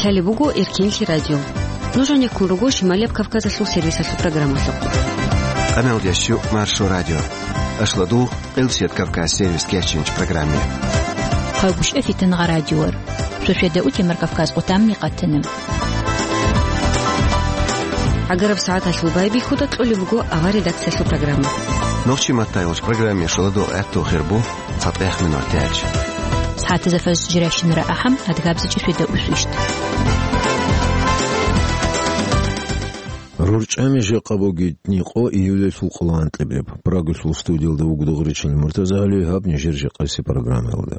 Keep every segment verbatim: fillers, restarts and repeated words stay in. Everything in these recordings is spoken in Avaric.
Гьале буго Эркенлъи радио. Нуж гьанеккун руго Шималияб Кавказалъул сервисалъул программалъухъ. Къамел ящу Маршо радио. Ашладу Къилсият Кавказ сервис кечинч программе. Хъайгушъа фитангъа радиор. Шошеда утемар Кавказ къутамни къатана. Агараб сагӀаталъул байбихьуда кьолеб буго авар редакциялъул программа. Нохчи маттайгъуш программе шоладу гӀатту хирбу. ЦатӀех минутач. СагӀатазда фаз жиращинара ахӀам, адгабзичӀи шведа усвищт. РурчӀами жакъа бугитни къо июлалъул къоло анкьабилеб. Прагалъул студиялда вугода гъуричил Муртазагьали, гьаб нижер жакъаси программаялда.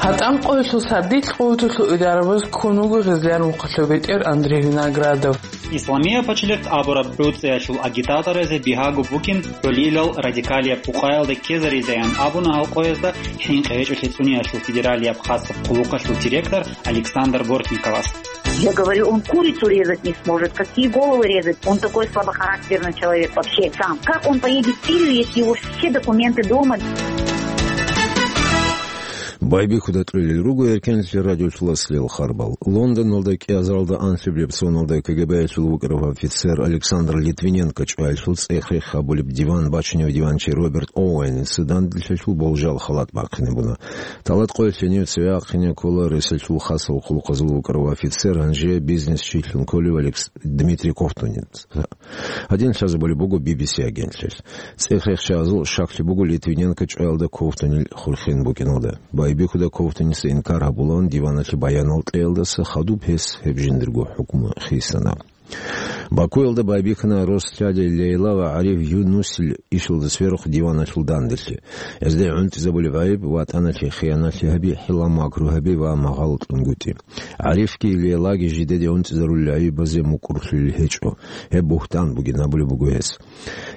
ГьатӀан къоялъул сардилъ къуваталъул идарабаз ккун вуго гъезлъан вухъалъул бетӀер Андрей Виноградов. Исламияб пачалихъ абураб гӀуцӀиялъул агитаторазе бигьаго букӀин гӀолилал радикалияб къукъаялда ккезаризеян абуна гьал къоязда хӀинкъи гьечӀолъи цӀуниялъул федералияб хасаб къуллукъалъул директор Александр Бортниковас. Я говорю, он курицу резать не сможет. Какие головы резать? Он такой слабохарактерный человек вообще сам. Как он поедет в Сирию, если у него все документы дома? Байбихьуда кьолел руго Эркенлъи радиолъуласлъел харбал. Лондоналда кӀиазаралда анлъабилеб соналда КГБ-ялъул вукӀарав офицер Александр Литвиненко чӀваялъул цӀех-рех гьабулеб диван бачунев диванчи Роберт Оуэница данделъиялъул болжал халат бахъине буна. Талат къоялъе нив цеве ахъине ккола ресалъул хасал хъулухъазул вукӀарав офицер, гьанже бизнесчилъун кколев Алекс-, Дмитрий Ковтунец. Гьадин лъазабулеб буго Би Би Си агентлъиялъ. ЦӀех-рехчазул щаклъи буго Литвиненко чӀваялда Ковтунил хурхин букӀиналда. Байбихьуда Ковтуница инкар гьабулаан диваналъе баянал кьеялдаса хадуб гьес гьеб жиндирго хӀукму хисана. Бакуялда байбихьана Росдяди Лейла ва ГӀариф Юнусил ишалда сверухъ диваналъул данделъи. Гьезда гӀунтӀизабулеб гӀайиб ватӀаналъе хияналъи гьаби, хӀилла-макру гьаби ва магъало кьунгутӀи. ГӀарифги Лейлаги жидеде унцӀизарулел гӀайибазе мукӀурлъулел гьечӀо. Гьеб бугьтан бугин абулеб буго гьес.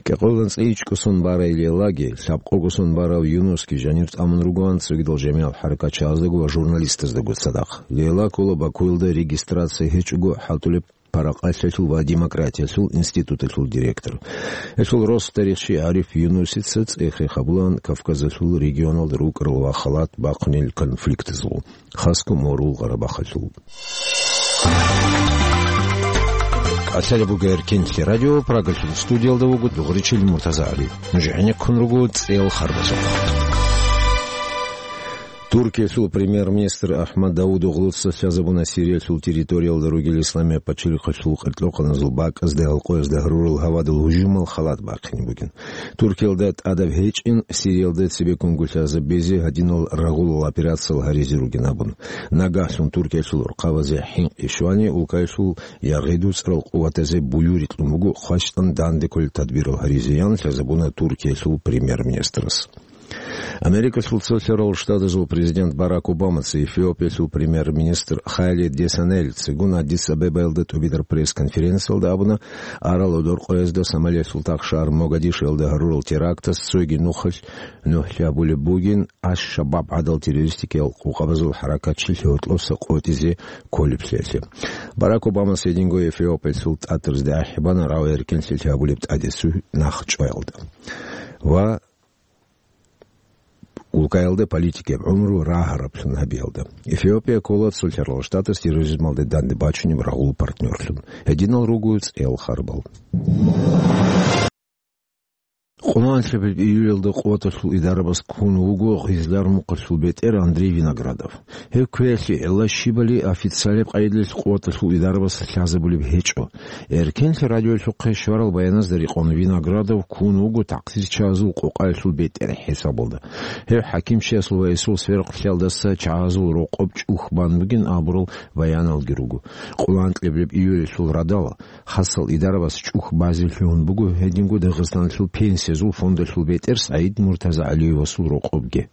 КӀикъоялда анцӀила ичӀго сон барай Лейлаги, лъабкъого сон барав Юнусги жанир тӀамун ругоан цогидал жамигӀал хӀаракатчагӀаздаго ва журналистаздаго цадахъ. Лейла ккола Бакуялда регистрация гьечӀого хӀалтӀулеб паракъалъиялъул ва демократиялъул институталъул директор. Гьелъул рос тарихчи ГӀариф Юнусица цӀех-рех гьабулаан Кавказалъул регионалда рукӀарал ва халат бахъунел конфликтазул. Хасго морул Гъарабахъалъул. КӀалъалеб буго Эркенлъи радио, Прагалъул студиялда вуго дугъричил Муртаза ГӀали. Нуж гӀенеккун руго цӀел харбазухъ. Туркиялъул премьер-министр Ахмад Давудоглуца лъазабуна Сириялъул территориялда ругел Исламияб пачалихъалъул къеркьохъаназул бакӀазда гьалкъоязда гьарурал гьавадул гьужумал халат бахъине бугин. Туркиялда тӀадаб гьечӀин Сириялда цебеккунго лъазабизе гьадинал рагъулал операциял гьаризе ругин абун. Нагагьлъун Туркиялъул урхъабазе хӀинкъи щвани, улкаялъул ягъи-дуцӀрал къуватазе буюри кьун буго хващтӀан данде кколел тадбирал гьаризеян лъазабуна Туркиялъул премьер-министрас. Америкалъул Цолъарал Штатазул президент Барак Обамаца Эфиопиялъул премьер-министр Хайле Десанель цигун Аддис-Абебаялда тӀубидар пресс-конференциялда абуна, арал гӀодор къоязда Сомалиялъул тахшагьар Могадишоялда гьарурал терактас цоги нухалъ нухлъи гьабулеб бугин Аш-Шабаб гӀадал террористикиял къукъабазул хӀаракатчил гьоркьоса къотӀизе кколеблъиялъе. Барак Обамас гьединго Эфиопиялъул тӀатарзде ахӀи бана рагӀу-эркенлъи гьабулеб тӀадесуй нах чӀваялда ва улкаялда политикияб гӀумру рагьараблъун гьабиялда. Эфиопия ккола Цолъарал Штатас терроризмалде данде бачунеб рагъул партнёрлъун. Гьединал руго цӀел харбал. Къуланлъабил июлялда къуваталъул идарабаз ккун вуго гъизлар мухъалъул бетӀер Андрей Виноградов. Гьев кквеялъе гӀелла щибали официалияб къайдалъ къуваталъул идарабаз лъазабулеб гьечӀо. Эркенлъи радиолъухъе щварал баяназда рекъон Виноградов ккун вуго такъсирчагьазул къокъаялъул бетӀер хӀисабалда. Гьев хӀакимчиясул ва гьесул сверухълъиялдаса чагьазул рокъоб чӀух бан бугин абурал баяналги руго. Къуланкьеблеб июльалъул радал хасал идарабас чӀух базе лъугьун буго гьединго Дагъистаналъул пенсиязул фондалъул бетӀер СагӀид МуртазагӀалиевасул рокъобги.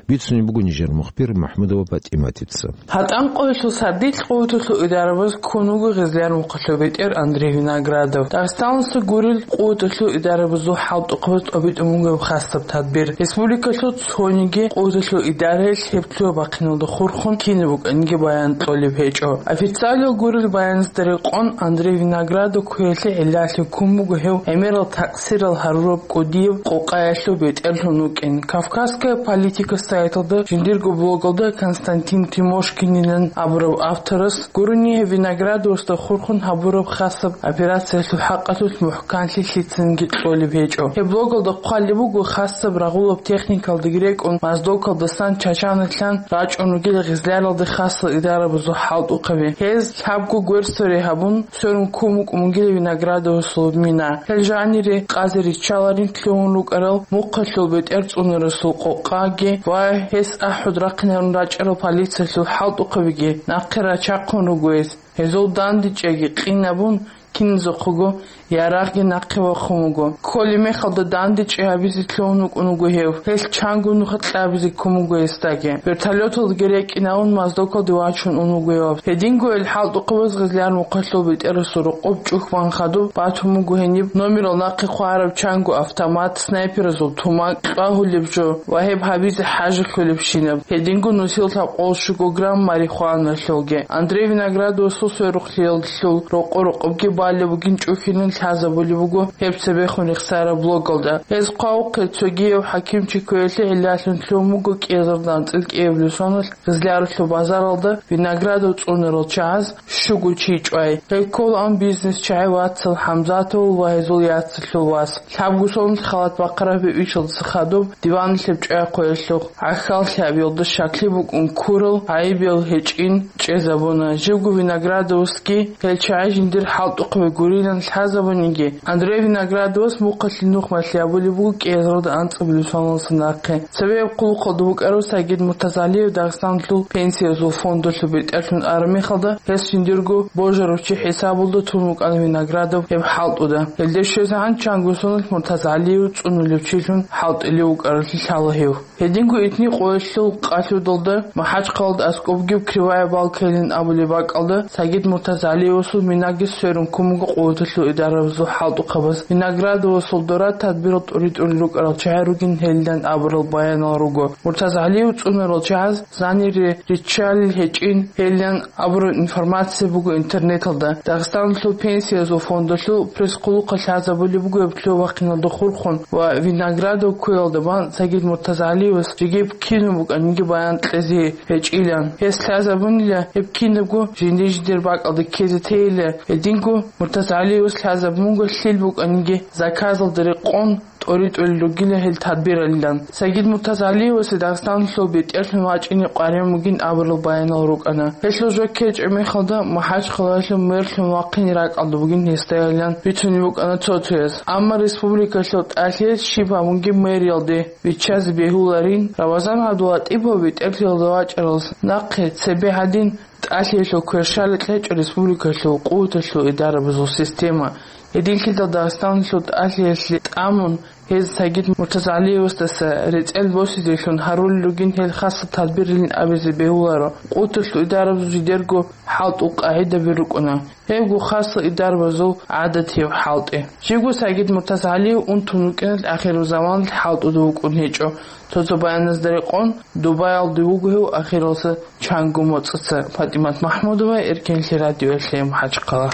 Бицунеб буго нижер мухбир МахӀмудова ПатӀиматица. ГьатӀан къоялъул сардилъ къуваталъул идарабаз ккун вуго гъезлъан вухъалъул бетӀер Андрей Виноградов. Дагъистаналъул гурел къуваталъул идарабазул хӀалтӀухъабаз тӀобитӀун буго гьеб хасаб тадбир. Республикалъул цониги къуваталъул идараялъ гьеб лъугьа-бахъиналда хурхун кинаб букӀаниги баян кьолеб гьечӀо. Официалияб гурел баяназда рекъон Андрей Виноградов кквеялъе гӀиллалъи ккун буго гьев гӀемерал такъсирал гьарураб кӀуд див къокъаялъул бетӀерлъун вукӀин. «Кавказская политика» сайталда жиндирго блогалда Константин Тимошкинилан абураб авторас гурони гьев Виноградовасда хурхун гьабураб хасаб операциялъул хӀакъалъулъ мухӀканлъи лъицанги кьолеб гьечӀо. Гьеб блогалда хъвалеб буго хасаб рагъулаб техникалдаги рекӀун, Моздокалдасан Чачаналъан рачӀун ругел гъизляралда хасал идарабазул хӀалтӀухъаби. Гьез лъабго гверсари гьабун, сверун ккун букӀун бугила Виноградовасул мина. Гьел жанире къазе риччаларин лъугьун рукӀарал мухъалъул бетӀер цӀунарасул къокъаги ва гьес ахӀуд рахъинарун рачӀарал полициялъул хӀалтӀухъабиги нахъе рачахъун руго гьез. Гьезул дандечӀейги къинабун, киназухъего ярагъги нахъе вахъун вуго. Кколеб мехалда дандечӀей гьабизе лъугьун вукӀун вуго гьев. Гьелъ чанго нух кьабизе ккун буго гьесдаги. Вертолёталдаги рекӀинаун Моздокалде вачун ун вуго гьев. Гьединго гьел хӀалтӀухъабаз гъизляр мухъалъул бетӀерасул рокъоб чӀухь бан хадуб батун буго гьениб номерал нахъе хъвараб чанго автомат, снайперазул тумакь, кьвагьулеб жо ва гьеб гьабизе хӀажалъулебщинаб. Гьединго нусил лъабкъоялъ щуго грамм марихуаналъулги. Андрей Виноградовасул сверухълъиялъул рокъо-рокъобги балеб бугин чӀухьилин лъазабулеб буго гьеб цебехун рехсараб блогалда. Гьез хъвавухъе цогияв хӀакимчи кквеялъе гӀиллалъун лъугьун буго кӀиазарда анцӀил кӀиабилеб соналъ Гъизлярулъул базаралда Виноградов цӀунарал чагӀаз щуго чи чӀвай. Гьел кколаан бизнес-чагӀи вацал ХӀамзатовул ва гьезул яцалъул вас. Лъабго соналъ халат бахъараб гьеб ишалдаса хадуб диваналъеб чӀвай хъвеялъухъ гӀахьаллъи гьабиялда щаклъи букӀун ккурал гӀайибиял гьечӀин чӀезабуна. Живго Виноградовасги гьел чагӀи жиндир хӀалтӀухъаби гурилан лъазабуниги, Андрей Виноградовас мухъалъе нух малъи гьабулеб буго кӀиазарда анцӀабилеб соналдаса нахъе. Цебе гьеб хъулухъалда вукӀарав Сагид Муртазалиев Дагъистаналъул пенсиязул фондалъул бетӀерлъун араб мехалда, гьес жиндирго божарав чи хӀисабалда тун вукӀана Виноградов гьеб хӀалтӀуда. Гьелде щвезегӀан чанго соналъ Муртазалиев цӀунулев чилъун хӀалтӀулев вукӀаралъе лъала гьев. Гьединго итни къоялъул къалъудалда МахӀачхъалада аскӀобги Кривая Балкайилан абулеб бакӀалда Сагид Муртазалиевасул минаги сверун ккун буго къуваталъул идарабазул хӀалтӀухъабаз. Виноградовасул дора тадбирал тӀури-тӀурил рукӀарал чагӀи ругин гьелилан абурал баянал руго. Муртазалиев цӀунарал чагӀаз занире риччалел гьечӀин гьелилан абураб информация буго интернеталда. Дагъистаналъул пенсиязул фондалъул пресс-хъулухъалъ лъазабулеб буго гьеб лъугьа-вахъиналда хурхун ва Виноградов ккуялда бан Сагид Муртазалиевас жеги кинаб букӀаниги баян кьезе гьечӀилан. Гьес лъазабунила гьеб кинабго жиндир-жиндир бакӀалда ккезе тейила, гьединго Муртазалиевас лъазабун буго лъил букӀаниги заказалда рекъон тӀоритӀулел ругила гьел тадбиралилан. Сагид Муртазалиевасе Дагъистаналъул бетӀерлъун вачӀине къваригӀун бугин абурал баянал рукӀана. Гьелъул жо ккечӀеб мехалда МахӀачхъалаялъул мэрлъун вахъине ракӀалда бугин гьесдайилан бицунеб букӀана цо-цояз. Амма республикалъул тӀалъиялъ щиб гьабунги мэриялде виччазе бегьуларин, Рамазан ГӀабдулатӀипов бетӀерлъиялда вачӀаралдаса нахъе цебе гьадин тӀалъиялъул кверщаликь гьечӀо республикалъул къуваталъул идарабазул система. Гьединлъидал Дагъистаналъул тӀалъиялъе тӀамун, гьез Сагид Муртазалиевасдаса рецӀел босизелъун гьарулел ругин гьел хасал тадбирилин абизе бегьуларо. Къуваталъул идарабазул жидерго хӀалтӀул къагӀидаби рукӀуна. Гьебго хасал идарабазул гӀадатияб хӀалтӀи. Живго Сагид Муртазалиев унтун вукӀиналъ ахирузаманалъ хӀалтӀуда вукӀун гьечӀо. Цо-цо баяназда рекъон, Дубаялде вуго гьев ахиралдаса чанго моцӀаца. ПатӀимат МахӀмудова, Эркенлъи радиоялъе, МахӀачхъала.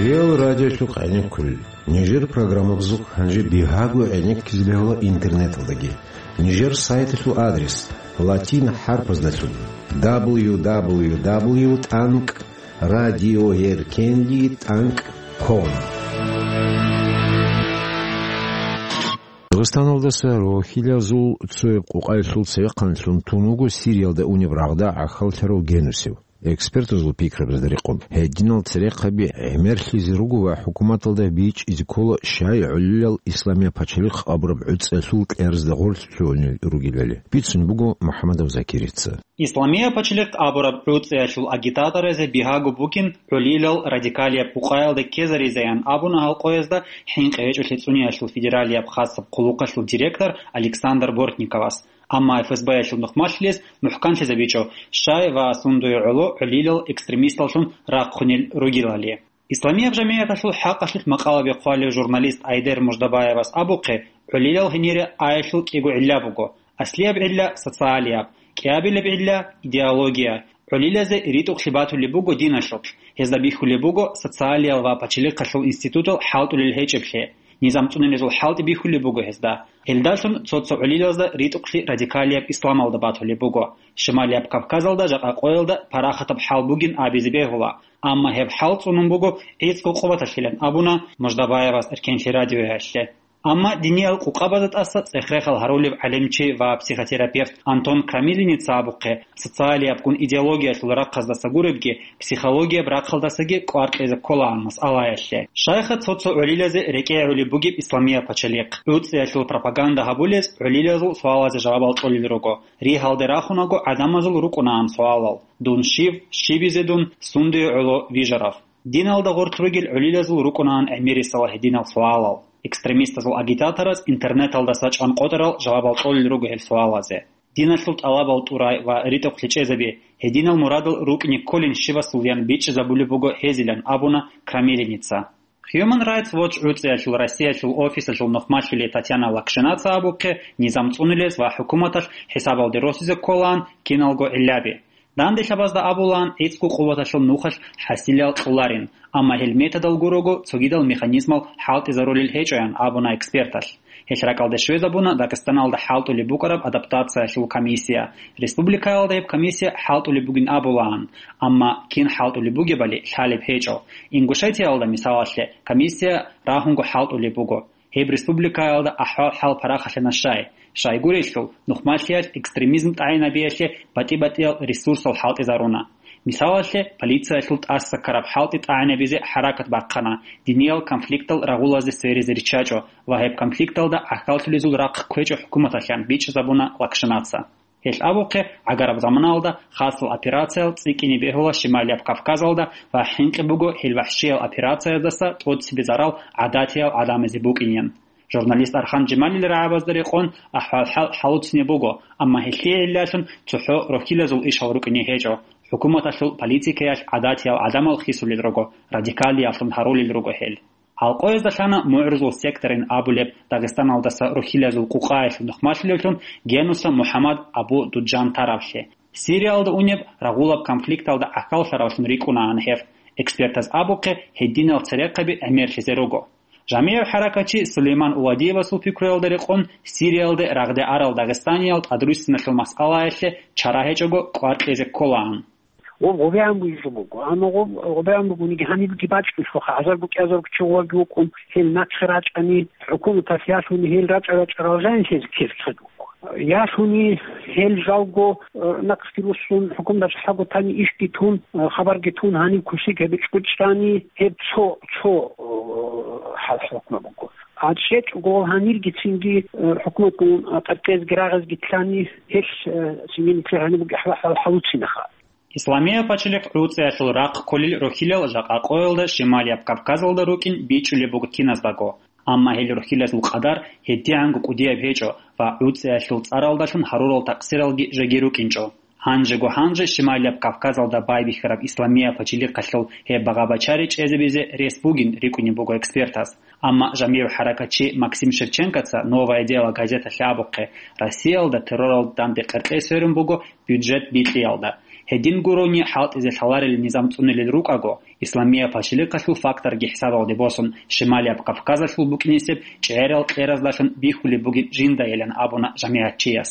Реал радиолъухъ гӀенеккулел. Нижер программабазухъ гьанже бигьаго гӀенеккизе бегьула интернеталдаги. Нижер сайталъул адрес латин хӀарпаздалъун: дабл ю дабл ю дабл ю тӀанкӀ радиоеркенлъи тӀанкӀ ком. Дагъистаналдаса рохилазул цояб къокъаялъул цевехъанлъун тун вуго Сириялда унеб рагъда гӀахьаллъарав генусев. Экспертазул пикрабазда рекъон, гьединал церехъаби гӀемерлъизе руго ва хӀукуматалда бичӀчӀизе ккола щай гӀолилал Исламия пачалихъ абураб гӀуцӀиялъул кьеразда гъорлъ лъугьунел ругелали. Бицун буго МухӀамадов Закирица. Исламия пачалихъ абураб гӀуцӀиялъул агитаторазе бигьаго бугин гӀолилал радикалияб къокъаялда ккезаризеян абуна гьал къоязда ХӀинкъи гьечӀолъи цӀуниялъул федералияб хасаб хъулухъалъул директор Александр Бортниковас. Амма ФСБ-ялъул нухмалъилес мухӀканлъизабичӀо, щай ва сундуе гӀоло гӀолилал экстремисталлъун рахъунел ругелали. Исламияб жамигӀаталъул хӀакъалъулъ макъалаби хъвалев журналист Айдер Муждабаевас абухъе, гӀолилал гьенире аялъул кӀиго гӀилла буго: аслияб гӀилла — социалияб, кӀиабилеб гӀилла — идеология. ГӀолилазе ритӀухълъи батулеб буго диналъулъ. Гьезда бихьулеб буго социалиял ва пачалихъалъул институтал хӀалтӀулел гьечӀеблъи. Низам цӀунилезул хӀалтӀи бихьулеб буго гьезда. Гьелдалъун цо-цо гӀолилазда ритӀухълъи радикалияб исламалда батулеб буго. Шималияб Кавказалда жакъа къоялда парахатаб хӀал бугин абизе бегьула, амма гьеб хӀал цӀунун буго гӀицӀго къуваталъилан абуна Муждабаевас Эркенлъи радиоялъе. Амма диниял къукъабазда тӀаса цӀех-рехал гьарулев гӀалимчи ва психотерапевт Антон Крамилиница абухъе, социалиябгун идеологиялъул рахъаздаса гуребги, психологияб рахъалдасаги кӀвар кьезе кколаан масъалаялъе. Щайха цо-цо гӀолилазе рекӀегӀулеб бугеб исламияб пачалихъ? ГӀуцӀиялъул пропаганда гьабулез гӀолилазул суалазе жавабал кьолел руго. Ригьалде рахунаго гӀадамазул рукӀунаан суалал: «Дун щив? Щибизе дун? Сундие гӀоло вижарав?» Диналда гъорлъ ругел гӀолилазул рукӀунаан гӀемерисела гьединал суалал. Экстремистазул агитатораз интернеталдаса чӀван къотӀарал жавабал кьолел руго гьел суалазе. Диналъул тӀалабал тӀурай ва ритӀухълъи чӀезаби, гьединал мурадал рукӀине кколин щивасулаян бичӀчӀизабулеб буго гьезилан абуна Крамилиница. Human Rights Watch гӀуцӀиялъул Россиялъул офисалъул нухмалъулей Татьяна Лакшинаца абухъе, низам цӀунилез ва хӀукуматалъ хӀисабалде росизе кколаан киналго гӀиллаби. Данделъабазда абулаан гӀицӀго къуваталъул нухалъ хӀасилал кьоларин, амма гьел методал гурого цогидал механизмал хӀалтӀизарулел гьечӀоян абуна эксперталъ. Гьелъ ракӀалде щвезабуна Дагъистаналда хӀалтӀулеб букӀараб адаптациялъул комиссия. Республикаялда гьеб комиссия хӀалтӀулеб бугин абулаан, амма кин хӀалтӀулеб бугебали лъалеб гьечӀо. Ингушетиялда, мисалалъе, комиссия рагьунго хӀалтӀулеб буго. Гьеб республикаялда ахӀвал-хӀал парахалъана щай. Щайгурелъул, нухмалъиялъ экстремизм тӀагӀинабиялъе батӀи-батӀиял ресурсал хӀалтӀизаруна. Мисалалъе, полициялъул тӀаса ккараб хӀалтӀи тӀагӀинабизе хӀаракат бахъана, диниял конфликтал рагъулазе сверизе риччачӀо ва гьеб конфликталда гӀахьаллъулезул рахъ кквечӀо хӀукуматалъан, бичӀчӀизабуна Лакшинаца. Гьелъ абухъе, гӀагараб заманалда хасал операциял цӀикӀкӀине бегьула Шималияб Кавказалда ва хӀинкъи буго гьел вахӀшиял операцияздаса тӀоцебе зарал гӀадатиял гӀадамазе букӀинин. Журналист Архан Жемалил рагӀабазда рекъон ахӀвал-хӀал хӀалуцинеб буго, амма гьелъие гӀиллалъун цохӀо рохьилазул ишал рукӀине гьечӀо. ХӀукуматалъул политикаялъ гӀадатиял гӀадамал хисулел руго, радикалиявлъун гьарулел руго гьел. Гьалкъоязда лъана мугӀрузул секторин абулеб Дагъистаналдаса рохьилазул къукъаялъул нухмалъулевлъун Генуса МухӀаммад Абу Дуджан таравлъи. Сириялда унеб рагъулаб конфликталда гӀахьаллъаравлъун рикӀкӀунаан гьев. Экспертаз абухъе, гьединал церехъаби гӀемерлъизе руго. ЖамигӀив хӀаракатчи Сулейман Уладиевасул пикруялда рекъон, Сириялде рагъде арал дагъистаниял тӀадруссиналъул масъалаялъе чара гьечӀого кӀвар кьезе кколаан. Гъоб гъобегӀан бугеб буго, амма гъоб гъобегӀан бугониги гьанибги бачӀунелъулха, гӀазар-букӀазарго чи гъоваги вукӀун, гьел нахъе рачӀани, хӀукуматалъ ялъуни гьел рачӀа-рачӀарал жанилъезе ккезе ккезе буго. Ялъуни гьел жалго, э, нахъги руссун, хӀукуматалъ хӀаготани ишги тун, э, хабарги тун, гьаниб кусиг гьеб чӀучӀани, гьеб цо, цо, э, хӀал-хӀукму буго. А чӀечӀого гьаниргицинги, э, хӀукуматгун, э, тӀадкъезги рагъизги лъани, гьелъ, э, цинги нилъер гьаниб бугеб хӀал-хӀал хӀалуцинаха. Исламияб пачалихъ гӀуцӀиялъул рахъ кколел рохьилал жакъа къоялда Шималияб Кавказалда рукӀин бичӀчӀулеб буго киназдаго. Амма гьел рохьилазул къадар гьедигӀанго кӀудияб гьечӀо ва гӀуцӀиялъул цӀаралдалъун гьарурал такъсиралги жеги рукӀинчӀо. Гьанжего-гьанже Шималияб Кавказалда байбихьараб Исламияб пачалихъалъул гьеб багъа-бачари чӀезабизе рес бугин рикӀкӀунеб буго экспертаз. Амма жамигӀ хӀаракатчи Максим Шевченкоца «Новое дело» газеталъе абухъе, Россиялда терроралда данде къеркьей сверун буго бюджет бикьиялда. Гьедин гурони хӀалтӀизе лъаларел низам цӀунилел рукӀаго, Исламияб пачалихъалъул факторги хӀисабалде босун, Шималияб Кавказалъул букӀинесеб чӀегӀерал кьераздалъун бихьулеб бугин жиндаялан абуна жамигӀатчияс.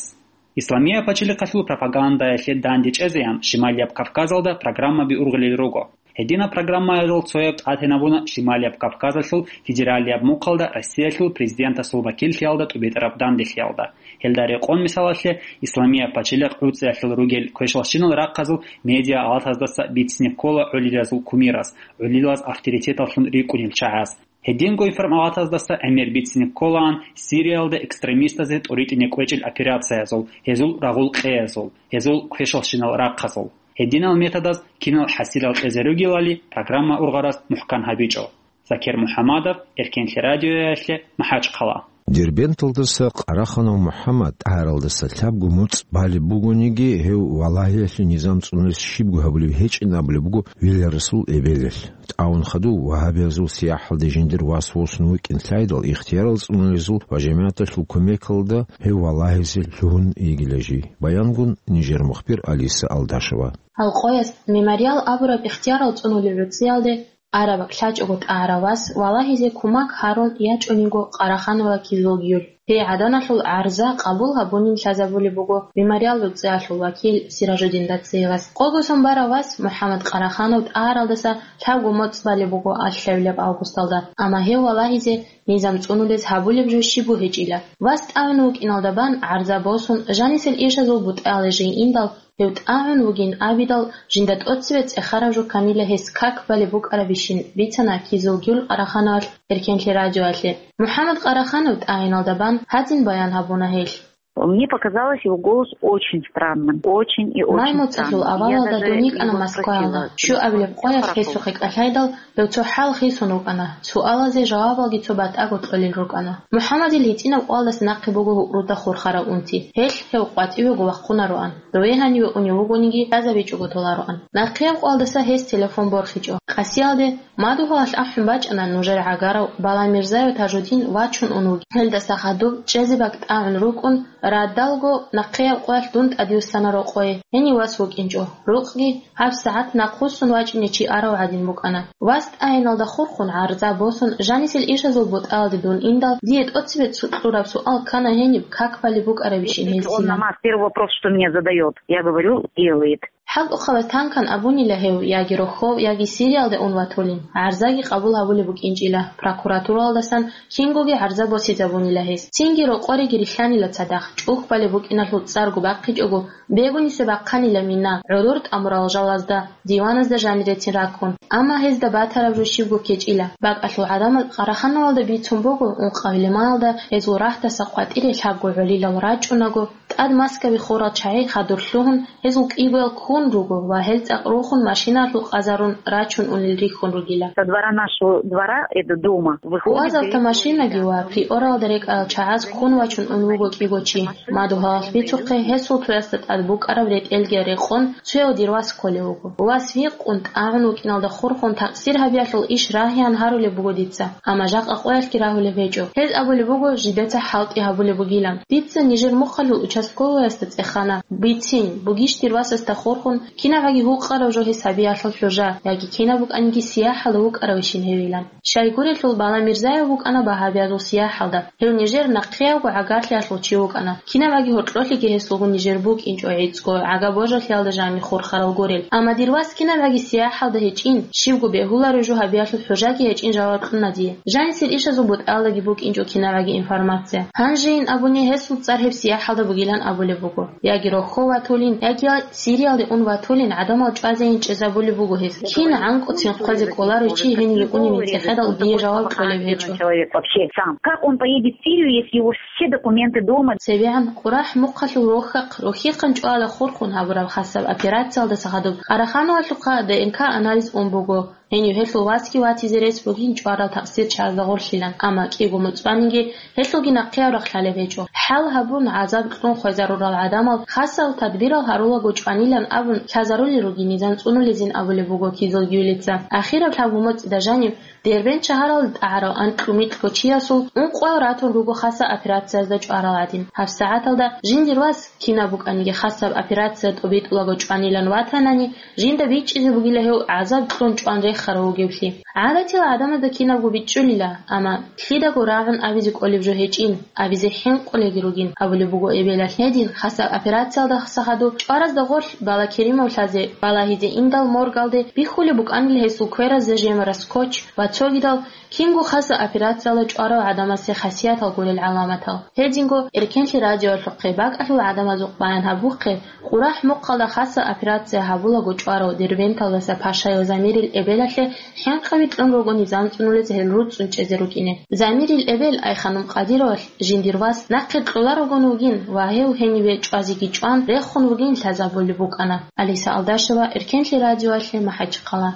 Исламияб пачалихъалъул пропагандаялъе данде чӀезеян Шималияб Кавказалда программаби ургъулел руго. Гьединаб программаялъул цояб тӀатинабуна Шималияб Кавказалъул федералияб мухъалда Россиялъул президентасул вакиллъиялда тӀубитӀараб данделъиялда. Гьелда рекъон мисалалъе, Исламияб пачалихъ гӀуцӀиялъул ругел квешалщинал рахъазул медиа-алатаздаса бицине ккола гӀолилазул кумираз, гӀолилаз авторитеталлъун рикӀкӀунел чагӀаз. Гьединго информалатаздаса гӀемер бицине кколаан Сириялда экстремистазе тӀоритӀине кӀвечӀел операциязул, гьезул рагъул къеязул, гьезул квешалщинал рахъазул. Гьединал методаз кинал хӀасилал кьезе ругелали программа ургъараз мухӀкан гьабичӀо. Закир МухӀамадов, Эркенлъи радиоялъе, МахӀачхъала. Дербенталдаса Къараханов МухӀаммад тӀагӀаралдаса лъабго моцӀ балеб бугониги, гьев валагьиялъе низам цӀунулес щибго гьабулеб гьечӀин абулеб буго Вилярасул эбелалъ. ТӀагӀун хадув вагьабиязул сияхӀалде жиндир вас восун вукӀин лъайдал, ихтиярал цӀунулезул ва жамигӀаталъул кумекалда гьев валагьизе лъугьун йигила жий. Баянгун нижер мухбир Алиса Алдашева. Гьал къояс «Мемориал» абураб ихтиярал цӀунулел гӀуцӀиялде араб бакӀ лъачӀого тӀагӀарав вас валагьизе кумак гьарун ячӀунего Къарахановла Кизулгюль. Гьей гӀаданалъул гӀарза къабул гьабунин лъазабулеб буго «Мемориал» гӀуцӀиялъул вакил Сиражуддин Дациевас. Къого сон барав вас МухӀаммад Къараханов тӀагӀаралдаса лъабго моцӀ балеб буго алъ лъабилеб августалда, амма гьев валагьизе низам цӀунулез гьабулеб жо щибго гьечӀила. Вас тӀагӀун вукӀиналда бан гӀарза босун, жанисел ишазул бутӀаялде жей индал, гьев тӀагӀун вугин абидал, жинда тӀоцебе цӀехараб жо камила гьес как балеб букӀарабищин бицана Кизулгюль Къарахановалъ Эркенлъи радиоялъе. МухӀаммад Къараханов тӀагӀиналда бан гьадин баян гьабуна гьелъ. Мне показалось его голос очень странным, очень и очень странным. Май моцӀалъул авалалда дун йикӀана Москваялда. Щуабилеб къоялъ гьесухъе кӀалъайдал, гьев цо хӀал хисун вукӀана, суалазе жавабалги цо батӀаго кьолел рукӀана. МухӀаммадил гьитӀинаб къоялдаса нахъе буго гьукъруда хурхарав унти. Гьелъ гьев къватӀивего вахъунароан. Дове гьаниве унев вугониги, лъазабичӀого толароан. Нахъеяб къоялдаса гьес телефон борхичӀо. Къасиялде, мадугьалалъ ахӀун бачӀана нужер гӀагарав Баламирзаев Тажудин вачун ун вугин. Гьелдаса хадуб чӀезе бакӀ тӀагӀун рукӀун, радалго нахъеяб къоялъ дун тӀадвуссана рокъое. Гьенив вас вукӀинчӀо. Рукъги гьабсагӀат нахъвуссун вачӀине чи арав гӀадин букӀана. Вас тӀагӀиналда хурхун гӀарза босун, жанисел ишазул бутӀаялде дун индал, дие тӀоцебе цо кьураб суал ккана гьениб как балеб букӀарабищин гьесина. Первый вопрос, что мне задает, я говорю, делает. ХӀалтӀухъабаз танкан абунила гьев, яги рохьов, яги Сириялде ун ватулин, гӀарзаги къабул гьабулеб букӀинчӀила, прокуратуралдасан кингоги гӀарза босизабунила гьес. Цинги рокъореги рилълъанила цадахъ, чӀухь балеб букӀиналъул цӀарго бахъичӀого, бегунисеб бахъанила мина, гӀуруртӀа мурал жалазда, диваназда жанирецин раккун. Амма гьезда батараб жо щибго ккечӀила. БакӀалъул гӀадамал Къарахановалда бицун буго, ункъабилеб майалда гьезул рагьдаса къватӀире лъабго гӀолилал рачӀунаго, тӀад Москваби хурал чагӀи хадур лъугьун, гьезул кӀигоял ккун руго ва гьел цӀакъ рухун машиналъул къазарун рачун унел рихьун ругила. Со двора нашего двора, это дома, выходит. Уазалта машинаги ва приоралда рекӀарал чагӀаз ккун вачун ун вуго кӀиго чи. Мадугьалалъ бицухъе, гьесул цоясда тӀад букӀараб ретӀелги рекъон, цояв дир вас кколев вуго. Вас вихъун, тӀагӀун вукӀиналда хурхун, такъсир гьабиялъул иш рагьеян гьарулеб буго дица, амма жакъа къоялъги рагьулеб гьечӀо. Гьез абулеб буго, жидеца хӀалтӀи гьабулеб бугилан. Дица нижер мухъалъул участковыясда цӀехана, бицин, бугищ дир васасда хурхун, кинабгӀаги гьукъараб жо гьес гьабиялъул хӀужа, яги кинаб букӀаниги сияхӀалда вукӀаравищин гьевилан. Щайгурелъул Баламирзаев вукӀана багьабиязул сияхӀалда. Гьев нижер нахъеябго гӀагарлъиялъул чи вукӀана. КинабгӀаги гьоркьолъиги гьесулгун нижер букӀинчӀо гӀицӀго, гӀага-божалъиялда жаниб хурхарал гурел. Амма дир вас кинабгӀаги сияхӀалда гьечӀин, щибго бегьуларо жо гьабиялъул хӀужаги гьечӀин жаваб кьуна дие. Жанисел ишазул бутӀаялдаги букӀинчӀо кинабгӀаги информация. Гьанжейин абуни гьесул цӀар гьеб сияхӀалда бугилан абулеб буго. Яги рохьов ватулин, яги Сириялде ун ватулин гӀадамал чӀвазейин чӀезабулеб буго гьес. Кин гӀанкӀуцин хъвазе кӀоларев чи гьениве уневин цӀехедал дие жаваб кьолеб гьечӀо. Человек вообще сам. Как он поедет в Сирию, если у него все документы дома? ЦебегӀан КъурахӀ мухъалъул рохьахъ, рохьихъан чӀвала хурхун гьабураб хасаб операциялдаса хадуб Къарахановалъухъа Д Н К анализ ун буго. Гьенив гьелъул васги ватизе рес бугин чӀварал такъсир чагӀазда гъорлъилан, амма кӀиго моцӀ баниги гьелъулги нахъеяв рахълъалеб гьечӀо. ХӀал гьабун, гӀазаб кьун хвезарурал гӀадамал хасал тадбирал гьарулаго чӀванилан абун лъазарулел ругин низам цӀунулезин абулеб буго Кизулгюлица. Ахираб лъабго моцӀида жаниб Дербент шагьаралда тӀагӀарав анкьго-микьго чиясул ункъоял ратун руго хасаб операциязда чӀварал гӀадин. ГьабсагӀаталда жиндир вас, кинаб букӀаниги хасаб операция тӀобитӀулаго чӀванилан ватанани, жинда бичӀчӀизе бугила гьев гӀазаб кьун чӀван рехарав вугевлъи. ГӀадатила гӀадамазда кинабго бичӀчӀулила, амма лъидаго рагӀун абизе кӀолеб жо гьечӀин, абизе хӀинкъулелги ругин, абулеб буго эбелалъ. Гьедин, хасаб операциялдаса хадуб чӀваразда гъорлъ Балакеримовлъазе балагьизе индал моргалде бихьулеб букӀанила гьесул кверазда жемарас скотч ва цогидал, кинго хасаб операциялда чӀварав гӀадамасе хасиятал гурел гӀаламатал. Гьединго Эркенлъи радиоялъухъе бакӀалъул гӀадамазухъ баян гьабухъе, КъурахӀ мухъалда хасаб операция гьабулаго чӀварав Дербенталдаса Пашаев Замирил эбелалъе хӀинкъи кьун руго низам цӀунулез гьел руцӀцӀун чӀезе рукӀине. Замирил эбел Айханум Къадировалъ жиндир вас нахъе кьоларогун вугин ва гьев гьениве чӀвазеги чӀван рехун вугин лъазабулеб букӀана. Алиса Алдашева, Эркенлъи радиоялъе, МахӀачхъала.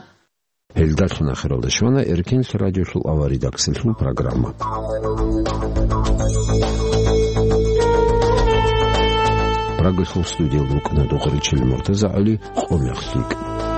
Гьелдалъун ахиралда щвана Эркенлъи радиолъул аваридаксалъул программа. Прагалъул студиялда вукӀана Духаричил МуртазагӀали, «Къо мех лъикӀ».